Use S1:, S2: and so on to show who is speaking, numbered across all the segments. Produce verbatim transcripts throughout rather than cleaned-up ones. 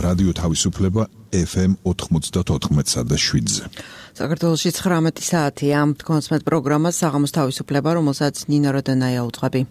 S1: რადიო თავისუფლება ეფ ემ ოთხმოცდაოთხ და შვიდზე.
S2: საქართველოში ცხრამეტი საათია. თქვენს პროგრამას საღამოს თავისუფლება, რომელსაც ნინო როდონაია უძღვები.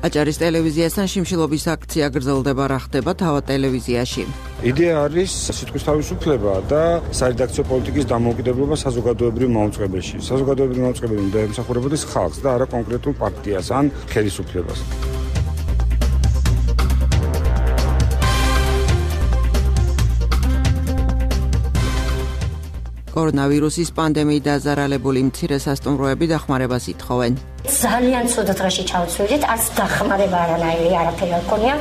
S2: აჭარის ტელევიზიასთან შიმშილობის აქცია გრძელდება, რა ხდება თავად ტელევიზიაში.
S3: იდეა არის სიტყვის თავისუფლება და სარედაქციო პოლიტიკის დამოუკიდებლობა საზოგადოებრივ მაუწყებელში. საზოგადოებრივ მაუწყებელი უნდა ემსახურებოდეს ხალხს და არა კონკრეტულ პარტიას ან ხელისუფლებას.
S2: კორონავირუსის პანდემიით დაზარალებული მცირე სასტუმროები დახმარებას ითხოვენ.
S4: ძალიან ცუდ დღეში ჩავცვლით, არც დახმარება არანაირი არაფერი არ ქონია.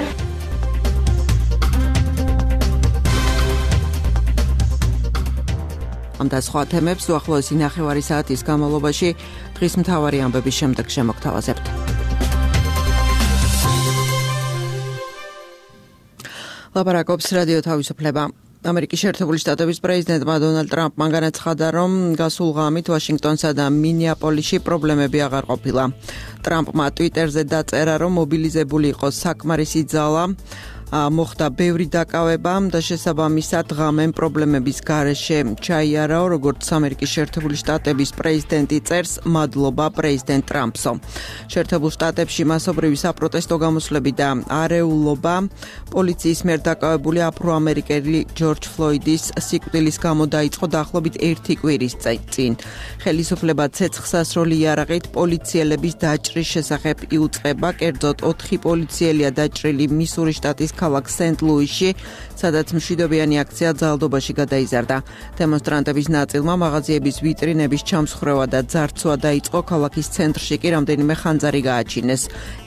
S2: ამ და სხვა თემებს უახლოესი ნახევარი საათის განმავლობაში დღის მთავარი ამბების შემდეგ შემოგთავაზებთ. ლაპარაკობს რადიო თავისუფლება. ამერიკის შეერთებული შტატების პრეზიდენტმა დონალდ ტრამპმა განაცხადა, რომ გასულ ღამით ვაშინგტონსა და მინეაპოლისში პრობლემები აღარ ყოფილა. ტრამპმა ტვიტერზე დაწერა, რომ მობილიზებული იყო საკმარისი ძალა, მოხდა ბევრი დაკავება და შესაბამისად ღამემ პრობლემების გარეშე ჩაიარაო, როგორც ამერიკის შეერთებული შტატების პრეზიდენტი წერს, მადლობა პრეზიდენტ ტრამპსო. შეერთებულ შტატებში მასობრივი საპროტესტო გამოსვლები და არეულობა პოლიციის მიერ დაკავებული აფრო-ამერიკელი ჯორჯ ფლოიდის სიკვდილის გამო დაიწყო დაახლოებით ერთი კვირის წინ. ხელისუფლება ცეცხლსასროლი იარაღით პოლიციელების დაჭრის შესახებ იუწყება, კერძოდ ოთხი პოლიციელია დაჭრილი მისურის შტატის ქალაქ სენტ-ლუისში, სადაც მშვიდობიანი აქცია ძალადობაში გადაიზარდა. დემონსტრანტების ნაწილმა მაღაზიების ვიტრინების ჩამსხვრევა და ძარცვა დაიწყო, ქალაქის ცენტრში კი რამდენიმე ხანძარი გააჩინეს.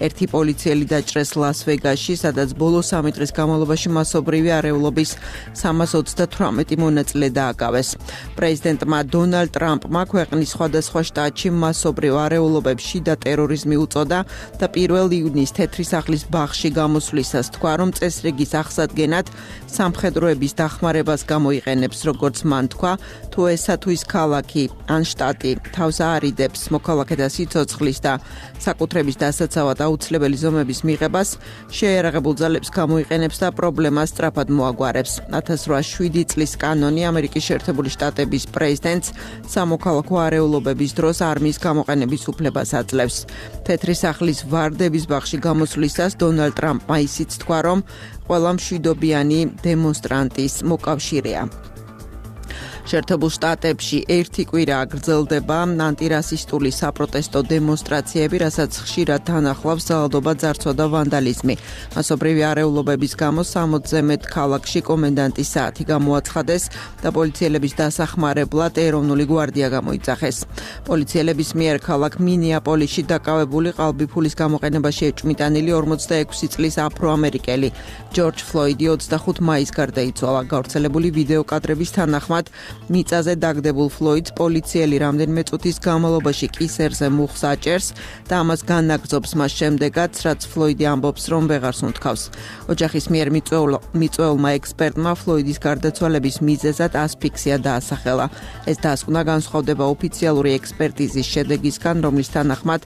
S2: ერთი პოლიციელი დაჭრეს ლას-ვეგასში, სადაც ბოლო სამი დღის განმავლობაში მასობრივი არეულობის სამას ოცდათვრამეტი მონაწილე დააკავეს. პრეზიდენტმა დონალდ ტრამპმა ქვეყნის სხვადასხვა შტატში მასობრივ არეულობებს შიდა ტერორიზმი უწოდა და პირველ ივნისს თეთრი სახლის ბაღში გამოსვლისას თქვა, რომ წესრიგის აღსადგენად სამხედროების დახმარებას გამოიყენებს, როგორც მან თქვა, თუ ესა თუ ის ქალაქი ან შტატი თავს აარიდებს მოქალაქეთა სიცოცხლის და საკუთრების დასაცავად აუცილებელი ზომების მიღებას, შეიარაღებულ ძალებს გამოიყენებს და პრობლემას სწრაფად მოაგვარებს. ათას რვაასი წლის კანონი ამერიკის შეერთებული შტატების პრეზიდენტს სამოქალაქო არეულობების დროს არმიის გამოყენების უფლებას აძლევს. თეთრი სახლის ვარდების ბაღში გამოსვლისას დონალდ ტრამპმა ისიც თქვა, რომ ყველა მშვიდობიანი დემონსტრანტის მოკავშირეა. შეერთებულ შტატებში ერთი კვირა გრძელდება ანტირასისტული საპროტესტო დემონსტრაციები, რასაც ხშირად თანახლავს ძალადობა, ძარცვა და ვანდალიზმი. მასობრივი არეულობების გამო სამოცზე მეტ ქალაქში კომენდანტის საათი გამოაცხადეს და პოლიციელების დასახმარებლად ეროვნული გვარდია გამოიძახეს. პოლიციელების მიერ ქალაქ მინეაპოლისში დაკავებული ყალბიფულის გამოყენებაში ეჭვმიტანილი ორმოცდაექვსი წლის აფრო-ამერიკელი ჯორჯ ფლოიდი ოცდახუთ მაისს გარდაიცვალა. გავრცელებული ვიდეო კადრების თანახმად მიწაზე დაგდებულ ფლოიდს პოლიციელი რამდენიმე წუთის განმავლობაში კისერზე მუხს აჭერს და ამას განაგრძობს მას შემდეგაც, რაც ფლოიდი ამბობს, რომ ვეღარს უნთქავს. ოჯახის მიერ მიწვეულმა ექსპერტმა ფლოიდის გარდაცვალების მიზეზად ასფიქსია დაასახელა. ეს დასკვნა განსხვავდება ოფიციალური ექსპერტიზის შედეგისგან, რომლის თანახმად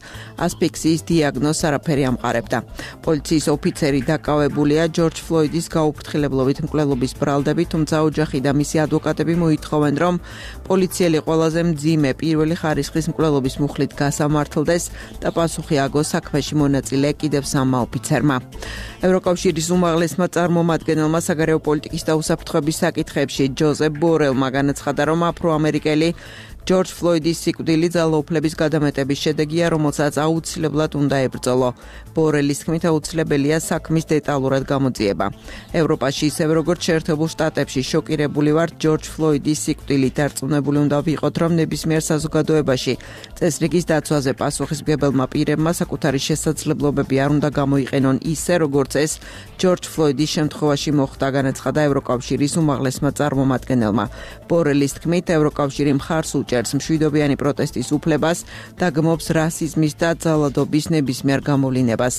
S2: ასფიქსიის დიაგნოზს არაფერი ამყარებდა. პოლიციის ოფიცერი დაკავებულია ჯორჯ ფლოიდის გაუფრთხილებლობით მკვლელობის ბრალდებით, თუმცა ოჯახი და მისი ადვოკატები მოითხოვენ, რომ პოლიციელი ყველაზე მძიმე პირველი ხარისხის მკვლელობის მუხლით გასამართლდეს და პასუხი აგოს საქმეში მონაწილე კიდევ სამმა ოფიცერმა. ევროკავშირის უმაღლესმა წარმომადგენელმა საგარეო პოლიტიკის და უსაფრთხოების საკითხებში ჯოზეფ ბორელმა განაცხადა, რომ აფრო-ამერიკელი ჯორჯ ფლოიდის სიკვდილი ძალაუფლების გადამეტების შედეგია, რომელსაც აუცილებლად უნდა ებრძოლო. ბორელის თქმით, აუცილებელია საქმის დეტალურად გამოძიება. ევროპაში, ისევე როგორც შეერთებულ შტატებში, შოკირებული ვართ ჯორჯ ფლოიდის სიკვდილით. დარწმუნებული უნდა ვიყოთ, რომ ნებისმიერ საზოგადოებაში წესრიგის დაცვაზე პასუხისმგებელმა პირებმა საკუთარი შესაძლებლობები არ უნდა გამოიყენონ ისე, როგორც ეს ჯორჯ ფლოიდის შემთხვევაში მოხდა, განაცხადა ევროკავშირის უმაღლესმა წარმომადგენელმა. ბორელის თქმით, ევროკავშირი მხარს უჭერს უჭერს მშვიდობიანი პროტესტის უფლებას და გმობს რასიზმის და ძალადობის ნებისმიერ გამოვლინებას.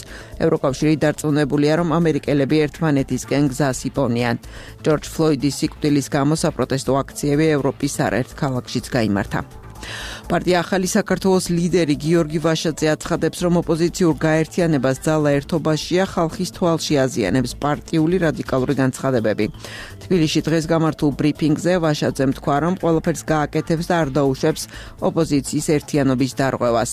S2: ევროკავშირი დარწმუნებულია, რომ ამერიკელები ერთმანეთისკენ გზას იპოვნიან. ჯორჯ ფლოიდის სიკვდილის გამო საპროტესტო აქციები ევროპის არაერთ ქალაქშიც გაიმართა. პარტია ახალი საქართველოს ლიდერი გიორგი ვაშაძე აცხადებს, რომ ოპოზიციურ გაერთიანებას ძალა ერთობაშია, ხალხის თვალში აზიანებს პარტიული რადიკალური განცხადებები. თბილისში დღეს გამართულ ბრიფინგზე ვაშაძემ თქვა, რომ ყველაფერს გააკეთებს და არ დაუშვებს ოპოზიციის ერთიანობის დარღვევას.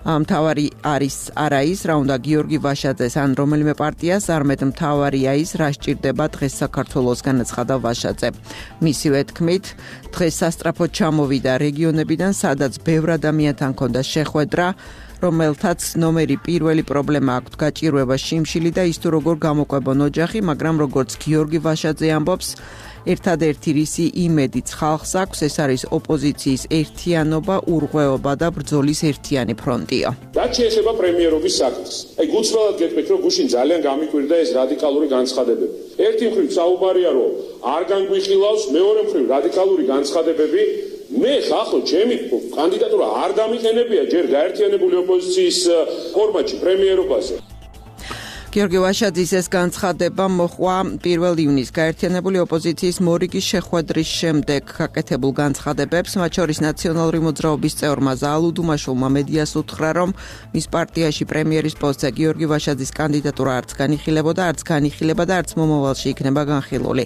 S2: მთავარი არის არა ის, რა უნდა გიორგი ვაშაძეს ან რომელიმე პარტიას, არამედ მთავარია ის, რა სჭირდება დღეს საქართველოს, განაცხადა ვაშაძე. მისივე თქმით, დღეს სასტრაფოდ ჩამოვიდა რეგიონებიდან, სადაც ბევრ ადამიანთან ჰქონდა შეხვედრა, რომელთაც ნომერი პირველი პრობლემა აქვთ გაჭირვება შიმშილი და ის თუ როგორ გამოყვებონ ოჯახი, მაგრამ როგორც გიორგი ვაშაძე ამბობს, ერთადერთი რისი იმედიც ხალხს აქვს, ეს არის ოპოზიციის ერთიანობა, ურღვეობა და ბრძოლის ერთიანი ფრონტია.
S5: რაც შეეხება პრემიერობის საქმეს, აი გულწრფელად გეტყვით, რომ გუშინ ძალიან გამიკვირდა ეს რადიკალური განცხადებები. ერთი მხრივ საუბარია, რომ არ განგვიხილავს, მეორე მხრივ რადიკალური განცხადებები. მე ხახო ჩემი კანდიდატურა არ დამიყენებია ჯერ გაერთიანებული ოპოზიციის ფორმატში პრემიერობაზე.
S2: გიორგი ვაშაძის ეს განცხადება მოხვა პირველ ივნისს გაერთიანებული ოპოზიციის მორიგის შეხვედრის შემდეგ გაკეთებულ განცხადებებს, მათ შორის ნაციონალური მოძრაობის წევრმა ზაალუ დუმაშოვმა მედიას უთხრა, რომ მის პარტიაში პრემიერის პოსტზე გიორგი ვაშაძის კანდიდატურა არც განიხილებოდა, არც განიხილება და არც მომავალში იქნება განხილული.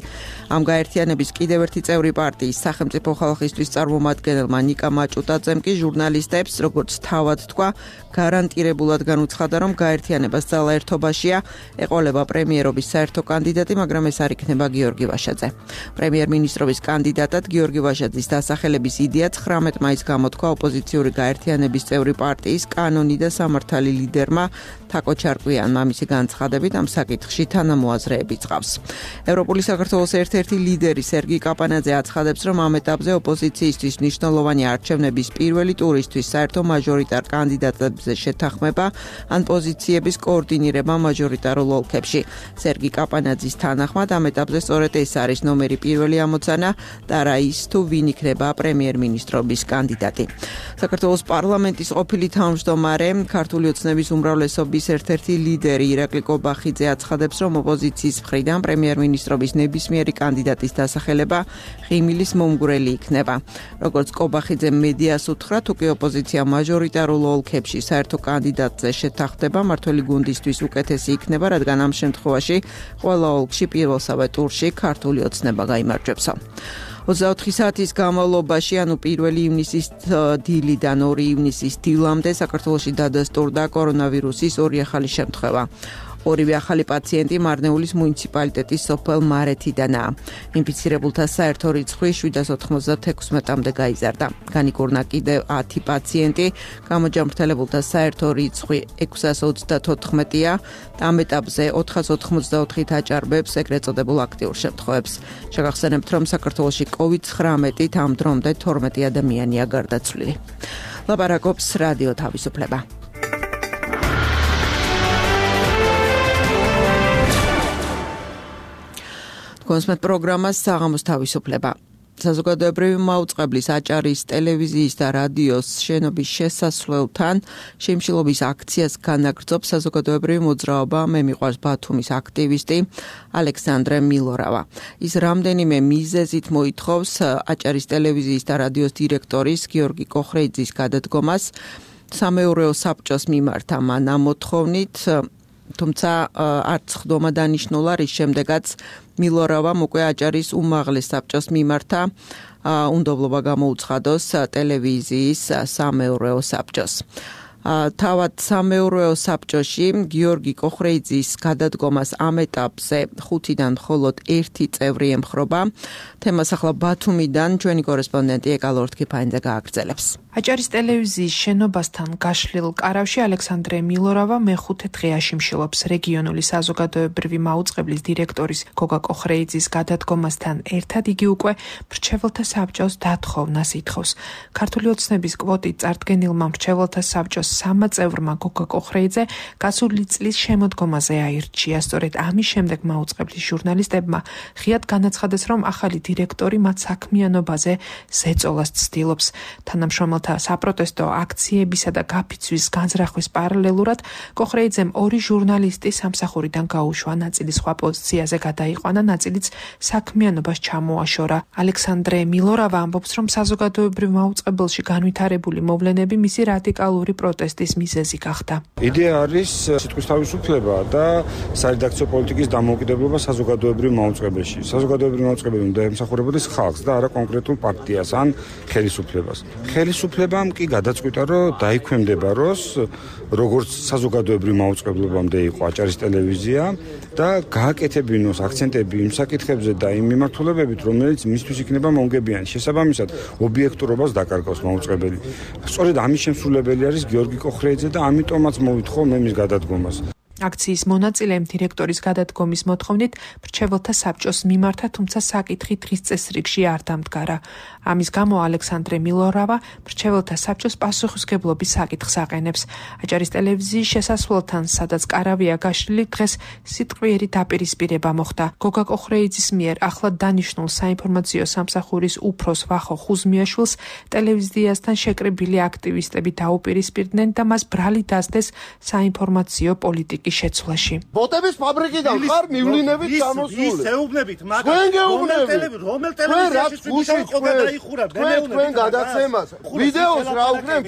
S2: ამ გაერთიანების კიდევ ერთი წევრი პარტიის სახელმწიფო ხალხისთვის წარმომადგენელმა ნიკა მაჭუტაძემ კი ჟურნალისტებს, როგორც თავად თქვა, გარანტირებულად განუცხადა, რომ გაერთიანებას ძალა ერთობაშია, ეყოლება პრემიერობის საერთო კანდიდატი, მაგრამ ეს არ იქნება გიორგი ვაშაძე. პრემიერ-მინისტრობის კანდიდატად გიორგი ვაშაძის დასახელების იდეა ცხრამეტ მაისს გამოთქვა ოპოზიციური გაერთიანების წევრი პარტიის კანონი და სამართალი ლიდერმა თაკო ჩარკვიანმა. მისი განცხადებით ამ საკითხში თანამოაზრეები წყავს. ევროპული საქართველოს ერთ-ერთი ლიდერი სერგი კაპანაძე აცხადებს, რომ ამ ეტაპზე ოპოზიციისთვის მნიშვნელოვანი არჩევნების პირველი ტურისთვის საერთო მაჟორიტარ კანდიდატებზე შეთანხმება ან პოზიციების კოორდინირება მაჟორიტარულ ოლქებში. სერგი კაპანაძის თანახმად ამ ეტაპზე სწორედ ეს არის ნომერი პირველი ამოცანა და რა ის თუ ვინ იქნება პრემიერ-მინისტრობის კანდიდატი. საქართველოს პარლამენტის ყოფილი თავმჯდომარე, ქართული ოცნების უმრავლესობის ერთ-ერთი ლიდერი ირაკლი კობახიძე აცხადებს, რომ ოპოზიციის მხრიდან პრემიერ-მინისტრობის ნებისმიერი კანდიდატის დასახელება ღიმილის მომგვრელი იქნება. როგორც კობახიძე მედიას უთხრა, თუ კი ოპოზიცია მაჟორიტარულ ოლქებში საერთო კანდიდატზე შეთანხმდება, მართველი გუნდისთვის უკეთესი იქნება, რადგან ამ შემთხვევაში ყველა ოლქში პირველსავე ტურში ქართული ოცნება გაიმარჯვებსო. ოცდაოთხი საათის განმავლობაში, ანუ პირველი ივნისის დილიდან ორი ივნისის დილამდე საქართველოში დადასტურდა კორონავირუსის ორი ახალი შემთხვევა. ორივე ახალი პაციენტი მარნეულის მუნიციპალიტეტის სოფელ მარეთიდანაა. ინფიცირებულთა საერთო რიცხვი შვიდას ოთხმოცდაექვსმეტამდე გაიზარდა. განიკურნა კიდევ ათი პაციენტი, გამოჯამრთელებულთა საერთო რიცხვი ექვსას ოცდათოთხმეტია. ამ ეტაპზე ოთხას ოთხმოცდაოთხით აჭარბებს ეგრეთ წოდებულ აქტიურ შემთხვევებს. შეგახსენებთ, რომ საქართველოში კოვიდ ცხრამეტით ამ დრომდე თორმეტი ადამიანია გარდაცვლილი. ლაპარაკობს რადიო თავისუფლება. კონსმეთ პროგრამას საღამოს თავისუფლება. საზოგადოებრივი მაუწყებლის აჭარის ტელევიზიის და რადიოს შენობის შესასვლელთან შემშილობის აქციას განაგრძობს საზოგადოებრივი მოძრაობა მე მიყვარს ბათუმის აქტივისტი ალექსანდრე მილორავა. ის რამდენიმე მიზეზით მოითხოვს აჭარის ტელევიზიის და რადიოს დირექტორის გიორგი კოხრეიძის გადადგომას. სამეურვეო საბჭოს მიმართა მან ამ მოთხოვნით, თუმცა არც ხდომა დანიშნულა, რის შემდეგაც მილორავამ უკვე აჭარის უმაღლეს საბჭოს მიმართა უნდობლობა გამოუცხადოს ტელევიზიის სამეურვეო საბჭოს. თავად სამეურვეო საბჭოში გიორგი კოხრეიძის გადადგომას ამ ეტაპზე ხუთიდან მხოლოდ ერთი წევრი ემხრობა. თემას ახლა ბათუმიდან ჩვენი კორესპონდენტი ეკალორთქიფაინძე გააგრძელებს.
S6: აჭარის ტელევიზიის შენობასთან გაშლილ კარავში ალექსანდრე მილორავა მეხუთე დღე აშიმშილობს რეგიონული საზოგადოებრივი მაუწყებლის დირექტორის გოგა კოხრეიძის გადადგომასთან ერთად იგი უკვე მრჩეველთა საბჭოს დათხოვნას ითხოვს. ქართული ოცნების კვოტით წარდგენილმა მრჩეველთა საბჭოს სამმა წევრმა გოგა კოხრეიძე გასული წლის შემოდგომაზე აირჩია. სწორედ ამის შემდეგ მაუწყებლის ჟურნალისტებმა ღიად განაცხადეს, რომ ახალი დირექტორი მათ საქმიანობაზე ზეწოლას ცდილობს. თანამშრომელთა საპროტესტო აქციებისა და გაფიცვის განზრახვის პარალელურად კოხრეიძემ ორი ჟურნალისტი სამსახურიდან გაუშვა, ნაწილი სხვა პოზიციაზე გადაიყვანა, ნაწილიც საქმიანობას ჩამოაშორა. ალექსანდრე მილორავა ამბობს, რომ საზოგადოებრივ მაუწყებელში განვითარებული მოვლენები მისი რადიკალური პროტესტის მიზეზი გახდა.
S3: იდეა არის სიტყვის თავისუფლება და სარედაქციო პოლიტიკის დამოუკიდებლობა საზოგადოებრივ მაუწყებელში. საზოგადოებრივ მაუწყებელი უნდა ემსახურებოდეს ხალხს და არა კონკრეტულ პარტიას ან ხელისუფლებას. ხელისუფლებამ კი გადაწყვიტა, რომ დაიქვემდება როს, როგორც საზოგადოებრივ მაუწყებლობამდე იყო აჭარის ტელევიზია და გააკეთებინოს აქცენტები იმ საკითხებზე და იმ მიმართულებებით, რომელიც მისთვის იქნება მომგებიანი. შესაბამისად, ობიექტურობას დაკარგავს მაუწყებელი. სწორედ ამის შემსრულებელი არის გიორგი კოხრეიძე და ამიტომაც მოვითხოვ მე მის გადადგომას.
S6: აქციის მონაწილემ დირექტორის გადადგომის მოთხოვნით მრჩეველთა საბჭოს მიმართა, თუმცა საკითხი დღის წესრიგში არ დამდგარა. ამის გამო ალექსანდრე მილორავა მრჩეველთა საბჭოს პასუხისმგებლობის საკითხს აყენებს. აჭარის ტელევიზიის შესასვლელთან, სადაც კარავია გაშლილი, დღეს სიტყვიერი დაპირისპირება მოხდა. გოგა კოხრეიძის მიერ ახლად დანიშნულ საინფორმაციო სამსახურის უფროს ვახო ხუზმიაშვილს ტელევიზიასთან შეკრებილი აქტივისტები დაუპირისპირდნენ და მას ბრალი დასდეს საინფორმაციო პოლიტიკის შეცვლაში.
S7: ბოტების ფაბრიკიდან ხარ მივლინებით გამოსული.
S8: ის ეუბნებით,
S7: მაგრამ რომელ ტელევიზიაში
S8: რომელ ტელევიზიაში თვითონ ყობა დაიხურა,
S7: თქვენ გადაცემას. ვიდეოს რა უქნებ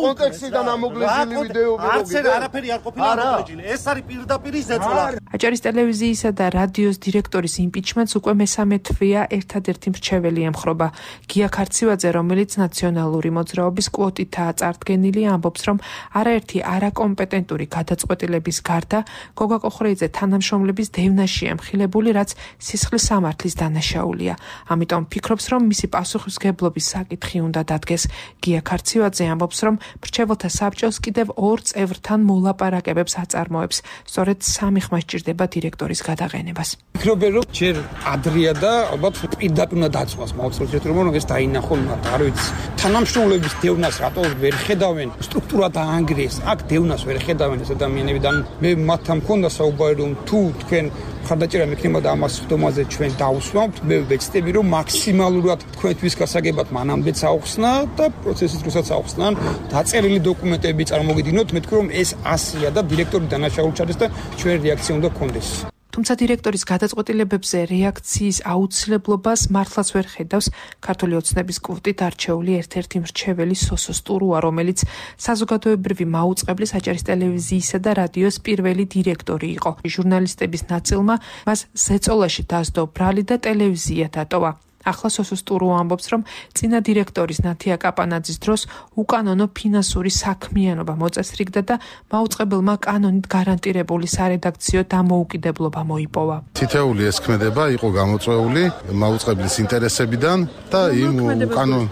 S7: კონტექსტიდან ამოგლეჯილი ვიდეოები
S8: არც არაფერი არ ყოფილა ამოგლეჯილი. ეს არის პირდაპირ ზეწოლა.
S6: აჭარის ტელევიზიისა და რადიოს დირექტორის იმპიჩმენტს უკვე მესამე თვეა ერთადერთი მრჩეველი ემხრობა. გია ქარცივაძე, რომელიც ნაციონალური მოძრაობის კვოტითაა წარდგენილი, ამბობს, რომ არაერთი არაკომპეტენტური გადაწყვეტილების გარდა გოგა კოხრეიძე თანამშრომლების დევნაშია ემხილებული, რაც სისხლის სამართლის დანაშაულია. ამიტომ ფიქრობს, რომ მისი პასუხისმგებლობის საკითხი უნდა დადგეს. გია ქარცივაძე ამბობს, რომ მრჩეველთა საბჭოს კიდევ ორ წევრთან მოლაპარაკებებს აწარმოებს. სწორედ სამი ხმა სჭირდება დირექტორის გადაყენებას.
S9: ფიქრობ, რომ ჯერ ადრეა და ალბათ პირდაპირ უნდა დაწყოს მაუწყებელს, რომ ეს დაინახონ, მაგრამ არ ვიცი. თანამშრომლების დევნას რატო ვერ ხედავენ? სტრუქტურა დაანგრიეს, აქ დევნას ვერ ხედავენ ეს ადამიანები და მე მათთან მქონდა საუბარი, რომ თუ თქვენ ხარდაჭერა მექნება და ამას ხდომაზე ჩვენ დავუსვამთ, მე ვეცდები, რომ მაქსიმალურად თქვენთვის გასაგებად მანამდე წაუხსნა და პროცესის დროსაც აუხსნან, დაწერილი დოკუმენტები წარმოგიდგინოთ, მეთქი რომ ეს ასია და დირექტორი დანაშაული ჩადეს და ჩვენ რეაქცია უნდა გქონდეს.
S6: თუმცა დირექტორის გადაწყვეტილებებზე რეაქციის აუცილებლობას მართლაც ვერ ხედავს ქართული ოცნების კვოტით არჩეული ერთ-ერთი მრჩეველი სოსო სტურუა, რომელიც საზოგადოებრივი მაუწყებლის აჭარის ტელევიზიისა და რადიოს პირველი დირექტორი იყო. ჟურნალისტების ნაწილმა მას ზეწოლაში დასდო ბრალი და ტელევიზია დატოვა. ახლა სოსო სტურუა ამბობს, რომ წინა დირექტორის ნათია კაპანაძის დროს უკანონო ფინანსური საქმიანობა მოწესრიგდა და მაუწყებელმა კანონით გარანტირებული სარედაქციო დამოუკიდებლობა მოიპოვა.
S10: თითეული ეს ქმედება იყო გამოწვეული მაუწყებლის ინტერესებიდან და იმ უკანონო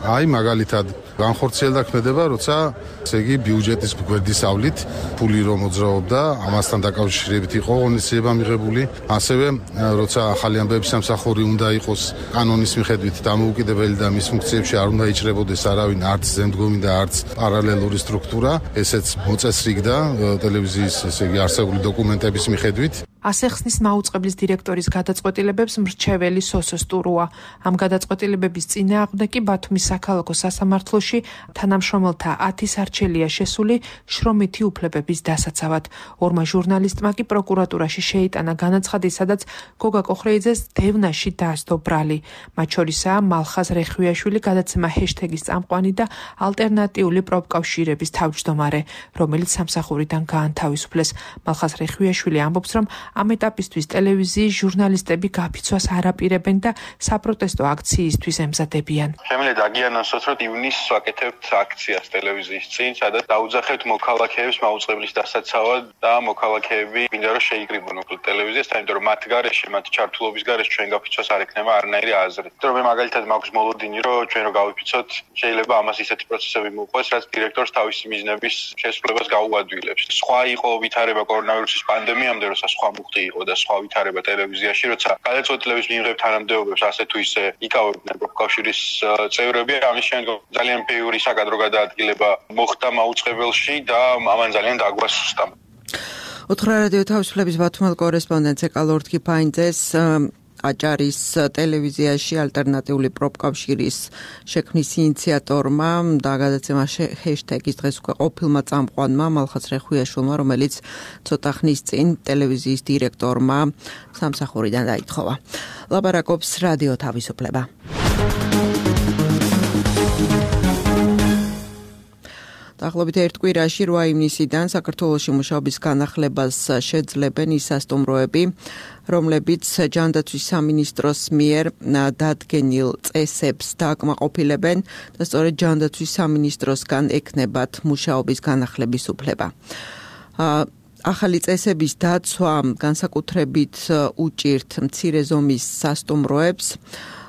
S10: აი მაგალითად განხორციელდა ქმედება, როცა ესე იგი ბიუჯეტის გვერდისავლით ფული რომ მოძრაობდა, ამასთან დაკავშირებით იყო ღონისძიება მიღებული. ასევე როცა ახალი ამბების სამსახური უნდა იყოს კანონის მიხედვით დამოუკიდებელი და მის ფუნქციებში არ უნდა იჭრებოდეს არავინ, არც ზემდგომი და არც პარალელური სტრუქტურა, ესეც მოწესრიგდა ტელევიზიის ესე იგი არსებული დოკუმენტების მიხედვით.
S6: ასე ხსნის მაუწყებლის დირექტორის გადაწყვეტილებებს მრჩეველი სოსო სტურუა. ამ გადაწყვეტილებების წინააღმდეგ კი ბათუმის საქალაქო სასამართლოში თანამშრომელთა ათი სარჩელია შესული შრომითი უფლებების დასაცავად. ორმა ჟურნალისტმა კი პროკურატურაში შეიტანა განაცხადი, სადაც გოგა კოხრეიძეს დევნაში დაასდო ბრალი. მათ შორისაა მალხაზ რეხვიაშვილი, გადაცემა ჰეშტეგის წამყვანი და ალტერნატიული პროფკავშირების თავმჯდომარე, რომელიც სამსახურიდან გაანთავისუფლეს. მალხაზ რეხვიაშვილი ამბობს, რომ ამ ეტაპისთვის ტელევიზიის ჟურნალისტები გაფიცვას არ აპირებენ და საპროტესტო აქციისთვის ემზადებიან.
S11: შემიძლია დაგიანონსოთ, რომ ივნისს ვაკეთებთ აქციას ტელევიზიის წინ, სადაც დაუძახებთ მოქალაქეებს მაუწყებლის დასაცავად და მოქალაქეები მინდა რომ შეიკრიბონ უკლ ტელევიზიას, იმიტომ რომ მათ გარეშე, მათ ჩართულობის გარეშე ჩვენ გაფიცვას არ ექნება არანაირი აზრი. იმიტომ რომ მე მაგალითად მაქვს მოლოდინი, რომ ჩვენ რო გავიფიცოთ, შეიძლება ამას ისეთი პროცესები მოუყვეს, რაც დირექტორს თავისი მიზნების შესრულებას გაუადვილებს. სხვა იყო ვითარება კორონავირუსის პანდემიამდე, როცა სხვა მუხტი იყო და სხვა ვითარება ტელევიზიაში, როცა გადაწყვეტილების მიღებ თანამდებობებს ასე თუ ისე იკავებდნენ პროფკავშირის წევრები, ამის შემდგომ ძალიან ბევრი საკადრო გადაადგილება მოხდა მაუწყებელში და ამან ძალიან დაგვასუსტა.
S2: უთხრა რადიო თავისუფლების ბათუმელ კორესპონდენტს ეკალორდ კიფაინძეს აჭარის ტელევიზიაში ალტერნატიული პროფკავშირის შექმნის ინიციატორმა და გადაცემა ჰეშტეგის დღეს უკვე ყოფილმა წამყვანმა მალხაზ რეხუიაშვილმა, რომელიც ცოტა ხნის წინ ტელევიზიის დირექტორმა სამსახურიდან დაითხოვა. ლაპარაკობს რადიო თავისუფლება. დაახლოებით ერთ კვირაში რვა ივნისიდან საქართველოში მუშაობის განახლებას შეძლებენ ის სასტუმროები, რომლებიც ჯანდაცვის სამინისტროს მიერ დადგენილ წესებს დააკმაყოფილებენ და სწორედ ჯანდაცვის სამინისტროსგან ექნებათ მუშაობის განახლების უფლება. ახალი წესების დაცვა განსაკუთრებით უჭირთ მცირე ზომის სასტუმროებს.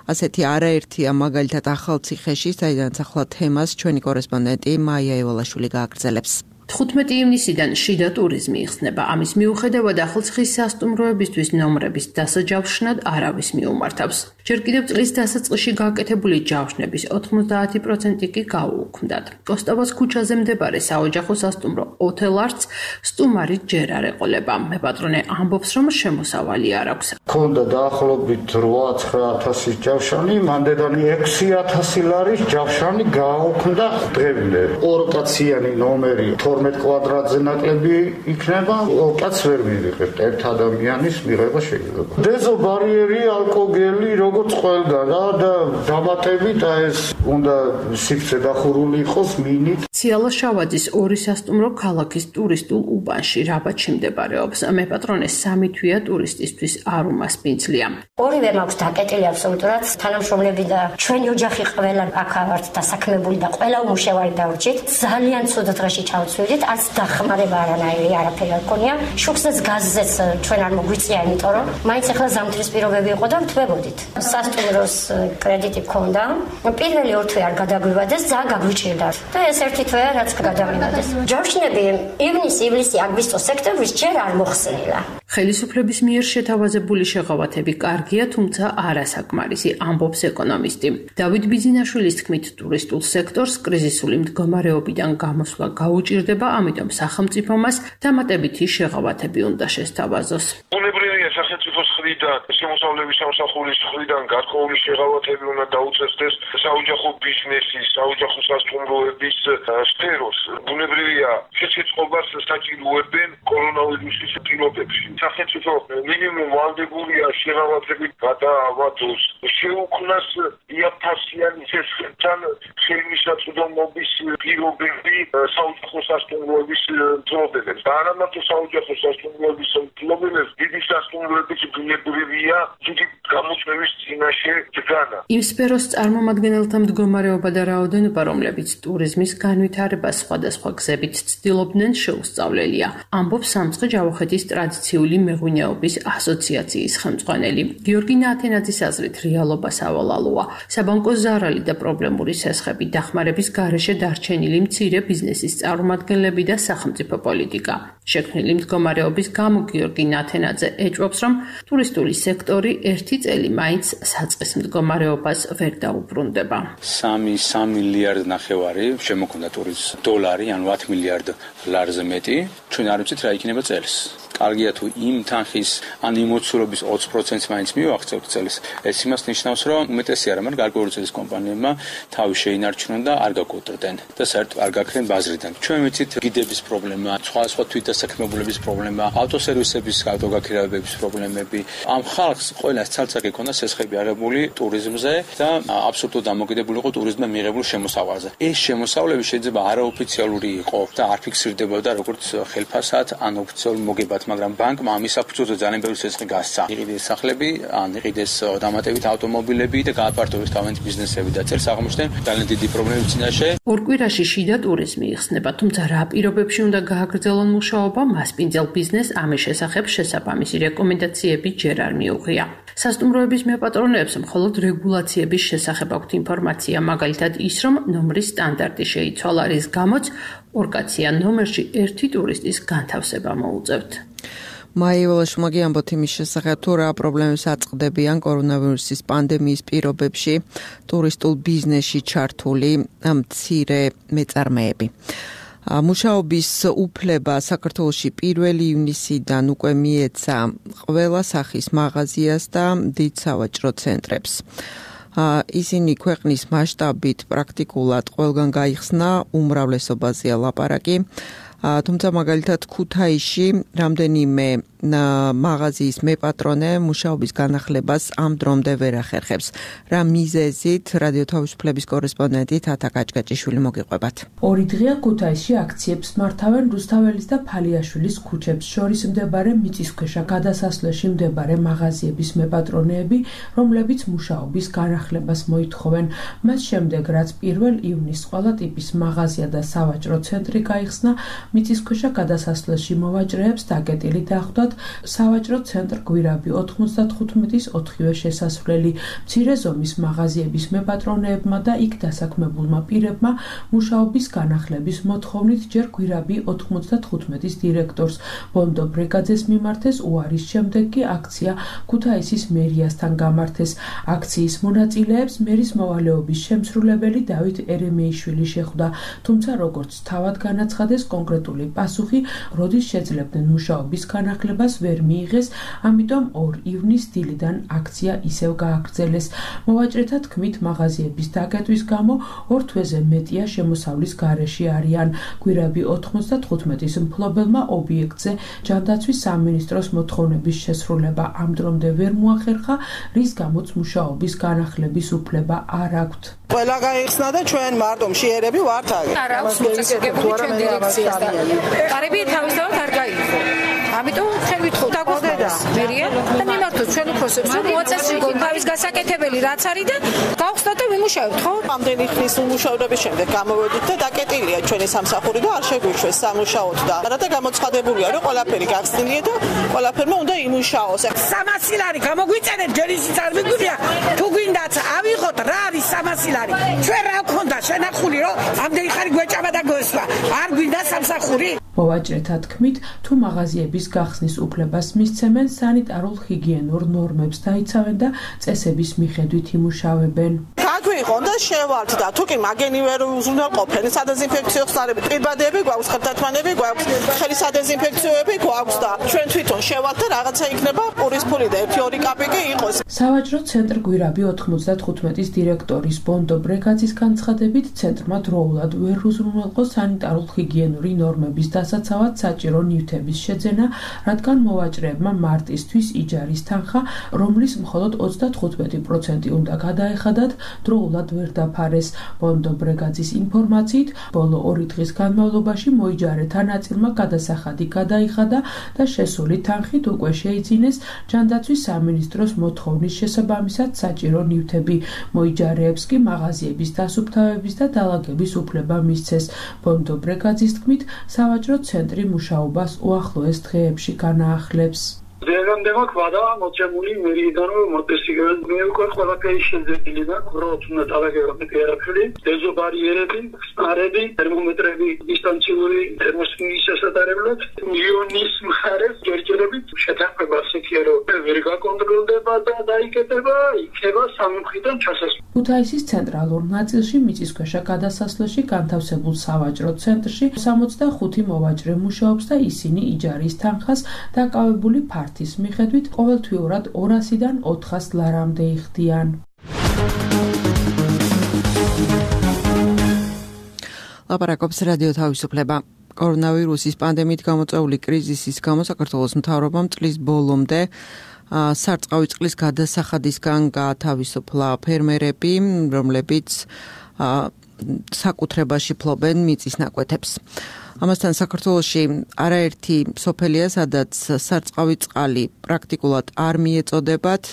S2: ასეთი არაერთია მაგალითად ახალციხეში, საიდანაც ახლა თემას ჩვენი კორესპონდენტი მაია ევალაშვილი გააგრძელებს.
S12: თხუთმეტი ივნისიდან შიდა ტურიზმი იხსნება. ამის მიუხედავად ახალციხის სასტუმროებისთვის ნომრების დასაჯავშნად არავის მიუმართავს. ჯერ კიდევ წლის დასაწყისში გაკეთებული ჯავშნების ოთხმოცდაათი პროცენტი კი გაუუქმდათ. კოსტავას ქუჩაზე მდებარე საოჯახო სასტუმრო ოთელარც სტუმარი ჯერ არ ეყოლება. მეპატრონე ამბობს, რომ შემოსავალი არ აქვს.
S13: ქონდა დაახლოებით რვა ცხრა ათასი ჯავშანი, მანდედანი ექვსი ათასი ლარის ჯავშანი გააუქმდა დღემდე. ორკაციანი ნომერი თორმეტ კვადრატზე ნაკლები იქნება, კაც ვერ მივიღებთ ერთ ადამიანის მიღება შეიძლება. დეზო ბარიერი, ალკოგელი, როგორც ყველგან და დამატებით ეს უნდა სივრცე დახურული იყოს მინით.
S12: ციალა შავაძის ორი სასტუმრო ქალაქის ტურისტულ უბანში რაბათში მდებარეობს. მეპატრონე სამი თვეა ტურისტისთვის არ უმასპინძლია.
S4: ორივე მაქვს დაკეტილი აბსოლუტურად. თანამშრომლები და ჩვენი ოჯახი ყველა აქ ვართ დასაქმებული და ყველა უმუშევარი დავრჩით. ძალიან ცუდ დღეში ჩავცვლით, არც დახმარება არანაირი არაფერი არ გქონია. შუქსაც გაზზეც ჩვენ არ მოგვიწია, იმიტომ რომ მაინც ახლა ზამთრის პირობები იყო და ვთვებოდით. სასტუმროს კრედიტი გქონდა. პირველი ორ თვე არ გადაგვივადეს, ძალიან გაგვიჭირდა. და ეს ერთი თვეა, რაც გადავიმოდეს. ჯავშნები ივნის, ივლისი, აგვისტო, სექტემბრის ჯერ არ მოხსნილა.
S12: ხელისუფლების მიერ შეთავაზებული შეღავათები კარგია, თუმცა არასაკმარისი, ამბობს ეკონომისტი. დავით ბიძინაშვილის თქმით, ტურისტულ სექტორს კრიზისული მდგომარეობიდან გამოსვლა გაუჭირდება, ამიტომ სახელმწიფომას დამატებითი შეღავათები უნდა შესთავაზოს.
S5: ბუნებრივია სახელმწიფოს მხრიდან, შემოსავლების სამსახურის მხრიდან გარკვეული შეღავათები უნდა დაუწესდეს საოჯახო ბიზნესის, საოჯახო სასტუმროების სფეროს. ბუნებრივია შეწყობას საჭიროებენ კორონავირუსის პირობებში. სახელმწიფო მინიმუმ ვალდებულია შეღავათებით გადაავადოს, შეუქმნას იაფთასიანი წესთან ხელმისაწვდომობის პირობები საოჯახო სასტუმროების მფლობელებს. და არა მარტო საოჯახო სასტუმროების მფლობელებს, დიდი სასტუმროების ბუნებრივია დიდი გამოწვევის წინაშე დგანა.
S12: იმ სფეროს წარმომადგენელთა მდგომარეობა და რაოდენობა, რომლებიც ტურიზმის განვითარებას სხვადასხვა გზებით ცდილობდნენ, შეუსწავლელია. ამბობს სამცხე ჯავახეთის ტრადიციული მეღვინეობის ასოციაციის ხელმძღვანელი. გიორგი ნათენაძის აზრით, რეალობა სავალალოა. საბანკო ზარალი და პრობლემური სესხები, დახმარების გარეშე დარჩენილი მცირე ბიზნესის წარმომადგენლები და სახელმწიფო პოლიტიკა. შექმნილი მდგომარეობის გამო გიორგი ნათენაძე ეჭვობს, რომ ტურისტული სექტორი ერთი წელი მაინც საწყის მდგომარეობას ვერ დაუბრუნდება.
S14: სამი მილიარდ ნახევარი შემოქმდა ტურისტ დოლარი, ანუ ათ მილიარდ ლარზე მეტი. ჩვენ არ ვიცით რა იქნება წელს. კარგია თუ იმ თანხის ან იმ მოცულობის ოცი პროცენტს მაინც მივახცევთ წელს. ეს იმას ნიშნავს, რომ უმეტესი არა, მაგრამ გარკვეული წლის კომპანიებმა თავი შეინარჩუნონ და არ გაკოტრდნენ და საერთოდ არ გაქრენ ბაზრიდან. ჩვენ ვიცით გიდების პრობლემა, სხვადასხვა თვითდასაქმებულების პრობლემა, ავტოსერვისების ავტოგაქირავების პრობლემები. ამ ხალხს ყველას ცალ-ცალკე ქონდა სესხები აღებული ტურიზმზე და აბსოლუტურად დამოკიდებული იყო ტურიზმმა მიღებულ შემოსავალზე. ეს შემოსავლები შეიძლება არაოფიციალური იყო და არ ფიქსირდებოდა როგორც ხელფასად ან ოფიციალურ მოგებად. მაგრამ ბანკმა ამის საფუძველზე ძალიან ბევრი ცეცხლი გასცა. იყიდეს სახლები, ან იყიდეს დამატებით ავტომობილები და გააფართოვეს თავიანთი ბიზნესები და წერს აღმოჩნდნენ ძალიან დიდი პრობლემები წინაშე.
S12: ორ კვირაში შიდა ტურიზმი იხსნება, თუმცა რა პირობებში უნდა გააგრძელონ მუშაობა, მასპინძელ ბიზნესს ამის შესახებ შესაბამისი რეკომენდაციები ჯერ არ მიუღია. სასტუმროების მეპატრონეებს მხოლოდ რეგულაციების შესახებ აქვთ ინფორმაცია, მაგალითად ის, რომ ნომრის სტანდარტი შეიცვალა, რის გამოც ორ კაციან ნომერში ერთი ტურისტის განთავსება მოუწევთ.
S2: მაიველაშმაგი ამბობთ იმის შესახებ, თუ რა პრობლემებს აწყდებიან კორონავირუსის პანდემიის პირობებში ტურისტულ ბიზნესში ჩართული მცირე მეწარმეები. მუშაობის უფლება საქართველოში პირველი ივნისიდან უკვე მიეცა ყველა სახის მაღაზიას და დიდ სავაჭრო ცენტრებს. ისინი ქვეყნის მასშტაბით პრაქტიკულად ყველგან გაიხსნა, უმრავლესობაზეა ლაპარაკი. თუმცა მაგალითად ქუთაისში რამდენიმე მაღაზიის მეპატრონე მუშაობის განახლებას ამ დრომდე ვერ ახერხებს. რა მიზეზით რადიო თავისუფლების კორესპონდენტი თათა კაჭკაჭიშვილი მოგიყვებათ.
S15: ორი დღეა ქუთაისში აქციებს მართავენ რუსთაველის და ფალიაშვილის ქუჩებს შორის მდებარე მიწისქვეშა გადასასვლელში მდებარე მაღაზიების მეპატრონეები, რომლებიც მუშაობის განახლებას მოითხოვენ. მას შემდეგ, რაც პირველ ივნისს ყველა ტიპის მაღაზია და სავაჭრო ცენტრი გაიხსნა, მიწისქვეშა გადასასვლელში მოვაჭრეებს დაკეტილი დახვდათ სავაჭრო ცენტრ გვირაბი ოთხმოცდათხუთმეტის ოთხივე შესასვლელი. მცირე ზომის მაღაზიების მეპატრონეებმა და იქ დასაქმებულმა პირებმა მუშაობის განახლების მოთხოვნით ჯერ გვირაბი ოთხმოცდათხუთმეტის დირექტორს ბონდო ბრეგაძეს მიმართეს უარის შემდეგ კი აქცია ქუთაისის მერიასთან გამართეს. აქციის მონაწილეებს მერის მოვალეობის შემსრულებელი დავით ერემეიშვილი შეხვდა, თუმცა როგორც თავად განაცხადეს კონკრეტული პასუხი, როდის შეძლებდნენ მუშაობის განახლებას ვერ მიიღეს, ამიტომ ორ ივნისს დილიდან აქცია ისევ გააგრძელეს. მოვაჭრეთა თქმით, მაღაზიების დაკეტვის გამო ორ თვეზე მეტია შემოსავლის გარეშე არიან. გვირაბი ოთხმოცდათხუთმეტის მფლობელმა ობიექტზე ჯანდაცვის სამინისტროს მოთხოვნების შესრულება ამ დრომდე ვერ მოახერხა, რის გამოც მუშაობის განახლების უფლება არ აქვთ.
S16: ყველა გაიხსნა და ჩვენ მარტო მშიერები ვართ აქ.
S17: არ აქვს მოწესრიგებული ჩვენ დირექციასთან. კარები თავისთავად არ გაიღო. ამიტომ ხელით ხო დაგვხდეს მერია და მიმართოთ ჩვენ უფროსებს, რომ მოაწესრიგონ თავის გასაკეთებელი რაც არის და გავხსნათ და ვიმუშავებთ, ხო?
S16: ამდენი ხნის უმუშავრობის შემდეგ გამოვედით და დაკეტილია ჩვენი სამსახური და არ შეგვიშვეს სამუშაოდ და რათა გამოცხადებულია, რომ ყველაფერი გახსნილია და ყველაფერმა უნდა იმუშაოს.
S18: სამასი ლარი გამოგვიწერეთ, ჯერისიც არ მიგვიღია. თუ გვინდათ ავიღოთ, რა არის სამასი ლარი? ჩვენ რა გქონდა შენახული, რომ ამდენი ხანი გვეჭამა და გვესვა. არ გვინდა სამსახური?
S15: მოვაჭრეთა თქმით, თუ მაღაზიების გახსნის უფლებას მისცემენ, სანიტარულ ჰიგიენურ ნორმებს დაიცავენ და წესების მიხედვით იმუშავებენ.
S16: გაგვიყონ და შევართ და თუ კი მაგენი ვერ უზრუნველყოფენ, სადეზინფექციო ხსნარები, პირბადები გვაქვს, ხელთათმანები გვაქვს, ხელის სადეზინფექციოები გვაქვს და ჩვენ თვითონ შევართ და რაღაცა იქნება პურის ფული და ერთი ორი კაპიკი იყოს.
S15: სავაჭრო ცენტრ გვირაბი ოთხმოცდათხუთმეტის დირექტორის ბონდო ბრეგაძის განცხადებით, ცენტრმა დროულად ვერ უზრუნველყო სანიტარულ ჰიგიენური ნორმების დასაცავად საჭირო ნივთების შეძენა, რადგან მოვაჭრეებმა მარტისთვის იჯარის თანხა, რომლის მხოლოდ ოცდათხუთმეტი პროცენტი უნდა გადაეხადათ, დროულად ვერ დაფარეს. ბონდო ბრეგაძის ინფორმაციით, ბოლო ორი დღის განმავლობაში მოიჯარეთა ნაწილმა გადასახადი გადაიხადა და შესული თანხით უკვე შეიძინეს ჯანდაცვის სამინისტროს მოთხოვნის შესაბამისად საჭირო ნივთები. მოიჯარეებს კი მაღაზიების დასუფთავების და დალაგების უფლება მისცეს. ბონდო ბრეგაძის თქმით, სავაჭრო ცენტრი მუშაობას უახლოეს დღეებში განაახლებს.
S19: დღემდე მოხდა მოწემული მერიიდან მოწესრიგებენ მე უკვე ყველაფერი შეძლებილი და ქროთ უნდა დალაგებები ერაფლი დეზო ბარიერები ხსნარები თერმომეტრები დისტანციური თერმოსკოპის შესაძლებლად იონის მხარეს ჯერჯერობით შეთანხმება სექიერო ვერ გაკონტროლდება და დაიკეტება იქნება სამმხიდან ჩასასვლელი.
S15: ქუთაისის ცენტრალურ ნაწილში მიწისქვეშა გადასასვლელში განთავსებულ სავაჭრო ცენტრში სამოცდახუთი მოვაჭრე მუშაობს და ისინი იჯარის თანხას დაკავებული ფართის მიხედვით ყოველთვიურად ორასიდან ოთხას ლარამდე იხდიან.
S2: ლაპარაკობს რადიო თავისუფლება. კორონავირუსის პანდემიით გამოწვეული კრიზისის გამო საქართველოს მთავრობამ წლის ბოლომდე სარწყავი წყლის გადასახადისგან გაათავისუფლა ფერმერები, რომლებიც საკუთრებაში ფლობენ მიწის ნაკვეთებს. ამასთან საქართველოში არაერთი სოფელია, სადაც სარწყავი წყალი პრაქტიკულად არ მიეწოდებათ,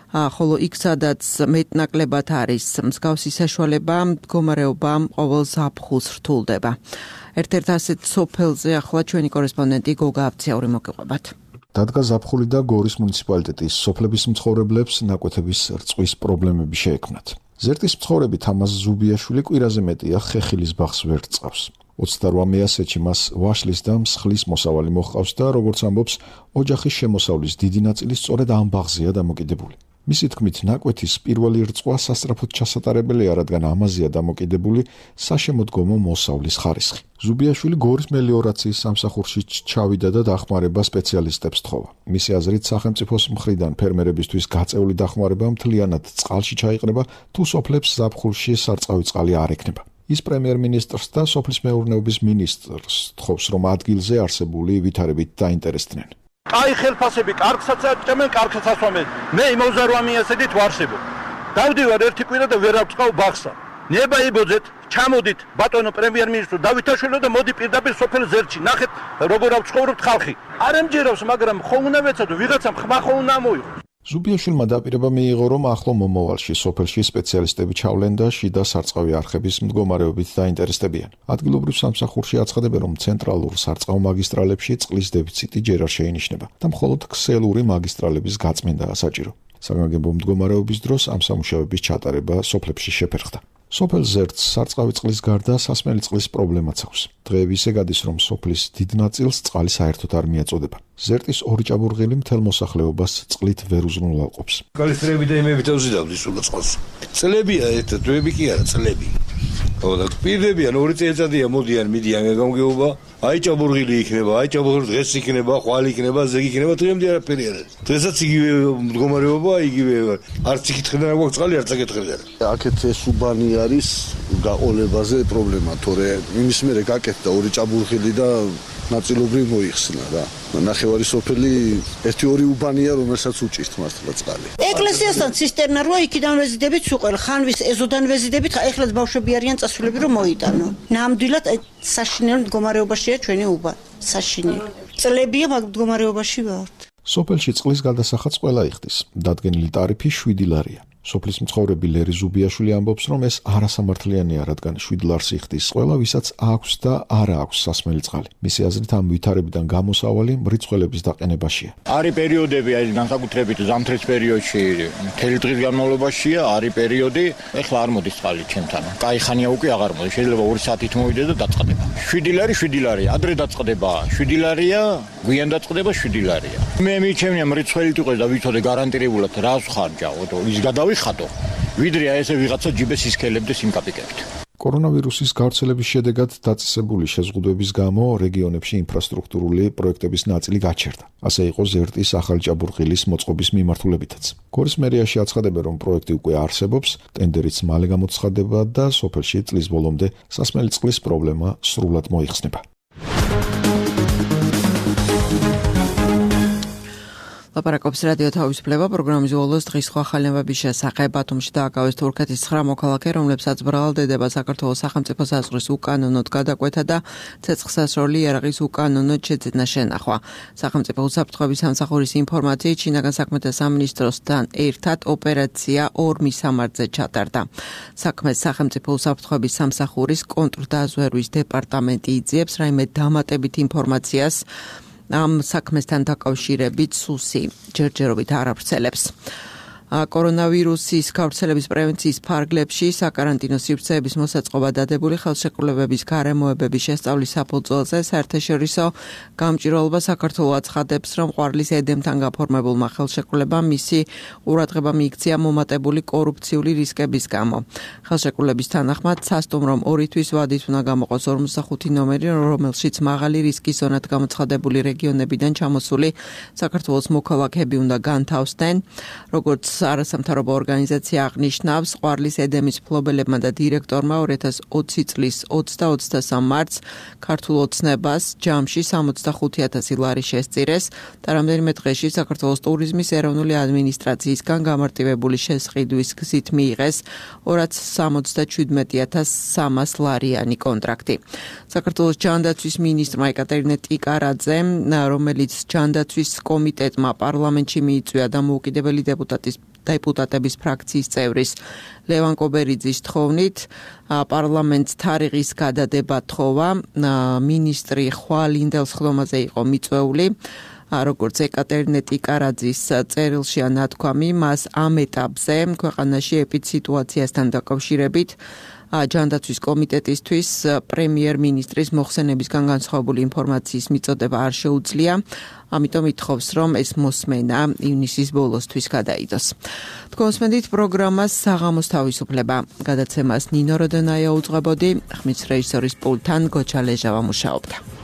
S2: ხოლო იქ სადაც მეტნაკლებად არის მსგავსი საშუალება, მდგომარეობა ყოველ ზაფხულს რთულდება. ერთ-ერთ ასეთ სოფელზე ახლა ჩვენი კორესპონდენტი გოგა აბციური მოგიყვებათ.
S20: დადგა ზაფხული და გორის მუნიციპალიტეტის სოფლების მცხოვრებლებს ნაკვეთების რწყვის პრობლემები შეექმნათ. ზერტის მცხოვრები თამაზ ზუბიაშვილი კვირაზე მეტია ხეხილის ბაღს ვერ რწყავს. ოცდაოთხ მეასეთში მას ვაშლის და მსხლის მოსავალი მოჰყავს და როგორც ამბობს, ოჯახის შემოსავლის დიდი ნაწილი სწორედ ამ ბაღზეა დამოკიდებული. მისი თქმით, ნაკვეთის პირველი რწყვა სასწრაფოდ ჩასატარებელია, რადგან ამაზეა დამოკიდებული საშემოდგომო მოსავლის ხარისხი. ზუბიაშვილი გორის მელიორაციის სამსახურში ჩავიდა და დახმარება სპეციალისტებს თხოვა. მისი აზრით, სახელმწიფოს მხრიდან ფერმერებისთვის გაწეული დახმარება მთლიანად წყალში ჩაიყრება, თუ სოფლებს ზაფხულში სარწყავი წყალი არ ექნება. ის პრემიერ-მინისტრს და სოფლის მეურნეობის მინისტრს თხოვს, რომ ადგილზე არსებული ვითარებით დაინტერესდნენ.
S8: აი ხელფასები კარგსაც აჭამენ, კარგსაც ასვამენ. მე ოცდაოთხ მეასედით ვარსებობ. დავდივარ ერთი კვირა და ვერ ავწყავ ბაღსა. ნება იბოძეთ, ჩამოდით ბატონო პრემიერ-მინისტრო დავითაშვილო და მოდი პირდაპირ სოფელ ზერტში. ნახეთ როგორ ავცხოვრობთ ხალხი. არ ემჯერავს, მაგრამ ხომ უნდა ვეცადო, ვიღაცამ ხმა ხომ უნდა მოიღო.
S20: ზუბიაშვილმა დაპირება მიიღო, რომ ახლო მომავალში სოფელში სპეციალისტები ჩავლენ და შიდა სარწყავი არხების მდგომარეობით დაინტერესდებიან. ადგილობრივ სამსახურში აცხადებენ, რომ ცენტრალურ სარწყავ მაგისტრალებში წყლის დეფიციტი ჯერ არ შეინიშნება და მხოლოდ ქსელური მაგისტრალების გაწმენდაა საჭირო. საგანგებო მდგომარეობის დროს ამ სამუშაოების ჩატარება სოფლებში შეფერხდა. სოფელ ზერტს სარწყავი წყლის გარდა სასმელი წყლის პრობლემაც აქვს. დღეები ისე გადის, რომ სოფლის დიდ ნაწილს წყალი საერთოდ არ მიაწოდება. ზერტის ორი ჭაბურღილი მთელ მოსახლეობას წყლით ვერ უზრუნველყოფს.
S21: კალისტრები და იმები თავზიდავდი სულ წყალს. წლებია ერთ თვეები კი არა, წლები. ხო და პირდებიან ორი წელიწადია მოდიან, მიდიან გამგეობა. აი ჭაბურღილი იქნება, აი ჭაბურღილი დღეს იქნება, ხვალ იქნება, ზეგი იქნება, დღემდე არაფერი არ არის. დღესაც იგივე მდგომარეობა, იგივე არც იკითხებდნენ აქვს წყალი, არც აკითხებდნენ.
S22: აქეთ ეს უბანი არის გაყოლებაზე პრობლემა, თორე იმის მერე გაკეთდა ორი ჭაბურღილი და ნაწილობრივ მოიხსნა რა. ნახევარი სოფელი ერთი ორი უბანია, რომელსაც უჭირთ მართლა წყალი.
S23: ეკლესიასთან ცისტერნა როა იქიდან ვეზიდებით სუყელ, ხანვის ეზოდან ვეზიდებით, ეხლაც ბავშვები არიან წასულები რომ მოიტანო. ნამდვილად საშინელ მდგომარეობაშია ჩვენი უბანი. საშინელი. წლებია მაგ მდგომარეობაში ვართ.
S20: სოფელში წყლის გადასახადს ყველა იხდის. დადგენილი ტარიფი შვიდი ლარია. სოფლის მცხოვრები ლერი ზუბიაშვილი ამბობს, რომ ეს არასამართლიანია, რადგან შვიდ ლარს იხდის ყველა, ვისაც აქვს და არა აქვს სასმელი წყალი. მისი აზრით, ამ ვითარებიდან გამოსავალი მრიცხველების დაყენებაშია.
S13: არის პერიოდები, აი განსაკუთრებით ზამთრის პერიოდში, მთელი დღის განმავლობაშია, არის პერიოდი, ეხლა არ მოდის წყალი ჩემთან. კაი ხანია უკვე აღარ მოდის, შეიძლება ორი საათით მოვიდეს და დაწყდება. შვიდი ლარი, შვიდი ლარია, ადრე დაწყდება, შვიდი ლარია, გვიან დაწყდება შვიდი ლარია. მე მიჩემია მრიცხველი თუ ყოს და ვიცოდე გარანტირებულად რას ხარჯავო, ის გადავიხადო. ვიდრე ესე ვიღაცა ჯიბეს ისქელებდეს იმ კაპიკებით.
S20: კორონავირუსის გავრცელების შედეგად დაწესებული შეზღუდვების გამო რეგიონებში ინფრასტრუქტურული პროექტების ნაწილი გაჩერდა. ასე იყო ზერტის ახალი ჭაბურღილის მოწყობის მიმართულებითაც. გორის მერიაში აცხადებენ, რომ პროექტი უკვე არსებობს, ტენდერიც მალე გამოცხადდება და სოფელში წლის ბოლომდე სასმელი წყლის პრობლემა სრულად მოიხსნება.
S2: ლაპარაკობს რადიო თავისუფლება პროგრამის უოლოს დღის სხვა ხალხების შესახებ. ბათუმში დააკავეს თურქეთის ცხრა მოქალაქე, რომლებსაც ბრალდება საქართველოს სახელმწიფო საზღვრის უკანონოდ გადაკვეთა და ცეცხლსასროლი იარაღის უკანონოდ შეძენა შენახვა. სახელმწიფო უსაფრთხოების სამსახურის ინფორმაციით, შინაგან საქმეთა სამინისტროსთან ერთად ოპერაცია ორმის სამარხზე ჩატარდა. საქმეს სახელმწიფო უსაფრთხოების სამსახურის კონტრდაზვერვის დეპარტამენტი იძიებს რაიმე დამატებით ინფორმაციას ამ საქმესთან დაკავშირებით სუსი ჯერჯერობით არ ავრცელებს. კორონავირუსის გავრცელების პრევენციის ფარგლებში საკარანტინო სივრცეების მოსაწყობა დადებული ხელშეკრულებების გარემოებების შესწავლის საფუძველზე საერთაშორისო გამჭირვალობა საქართველოს აცხადებს, რომ ყვარლის ედემთან გაფორმებულმა ხელშეკრულებამ მისი ყურადღება მიიქცია მომატებული კორუფციული რისკების გამო. ხელშეკრულების თანახმად სასტუმ რომ ორი თვის ვადით უნდა გამოყოს ორმოცდახუთი ნომერი, რომელშიც მაღალი რისკის ზონად გამოცხადებული რეგიონებიდან ჩამოსული საქართველოს მოქალაქეები უნდა განთავსდნენ, როგორც არასამთავრობო ორგანიზაცია აღნიშნავს, ყვარლის ედემის მფლობელებმა და დირექტორმა ორი ათას ოცი წლის ოცდა-ოცდასამ მარტს ქართულ ოცნებას ჯამში სამოცდახუთი ათასი ლარი შესწირეს და რამდენიმე დღეში საქართველოს ტურიზმის ეროვნული ადმინისტრაციისგან გამარტივებული შესყიდვის გზით მიიღეს ორ ათას სამოცდაჩვიდმეტი ათას სამას ლარიანი კონტრაქტი. საქართველოს ჯანდაცვის მინისტრმა ეკატერინე ტიკარაძემ, რომელიც ჯანდაცვის კომიტეტმა პარლამენტში მიიწვია და მოუკიდებელი დეპუტატის დეპუტატების ფრაქციის წევრის ლევან კობერიძის თხოვნით პარლამენტს თარიღის გადადება თხოვა. მინისტრი ხვალ ინდელს ხდომაზე იყო მიწვეული. როგორც ეკატერინე ტიკარაძის წერილშია ნათქვამი, მას ამ ეტაპზე ქვეყანაში ეპიდსიტუაციასთან დაკავშირებით ჯანდაცვის კომიტეტისთვის პრემიერ-მინისტრის მოხსენებისგან განსხვავებული ინფორმაციის მიწოდება არ შეუძლია, ამიტომ ითხოვს, რომ ეს მოსმენა ივნისის ბოლოსთვის გადაიდოს. თქვენსმენდით პროგრამას საღამოს თავისუფლება. გადაცემას ნინო როდონაია უძღვებოდი, ხმის რეჟისორის პულტთან გოჩა ლეჟავა მუშაობდა.